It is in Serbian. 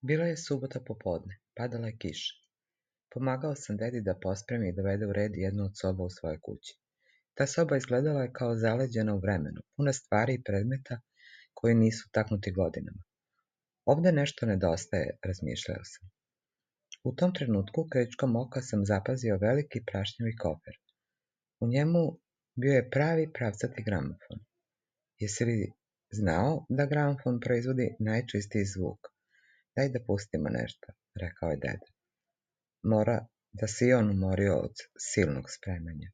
Bila je subota popodne, padala je kiša. Pomagao sam dedi da pospremi i dovede u red jednu od soba u svojoj kući. Ta soba izgledala je kao zaleđena u vremenu, puna stvari i predmeta koji nisu taknuti godinama. Ovde nešto nedostaje, razmišljao sam. U tom trenutku krećkom oka sam zapazio veliki prašnjavi kofer. U njemu bio je pravi pravcati gramofon. Jesi li znao da gramofon proizvodi najčistiji zvuk? Daj da pustimo nešto, rekao je deda. Mora da se i on umorio od silnog spremanja.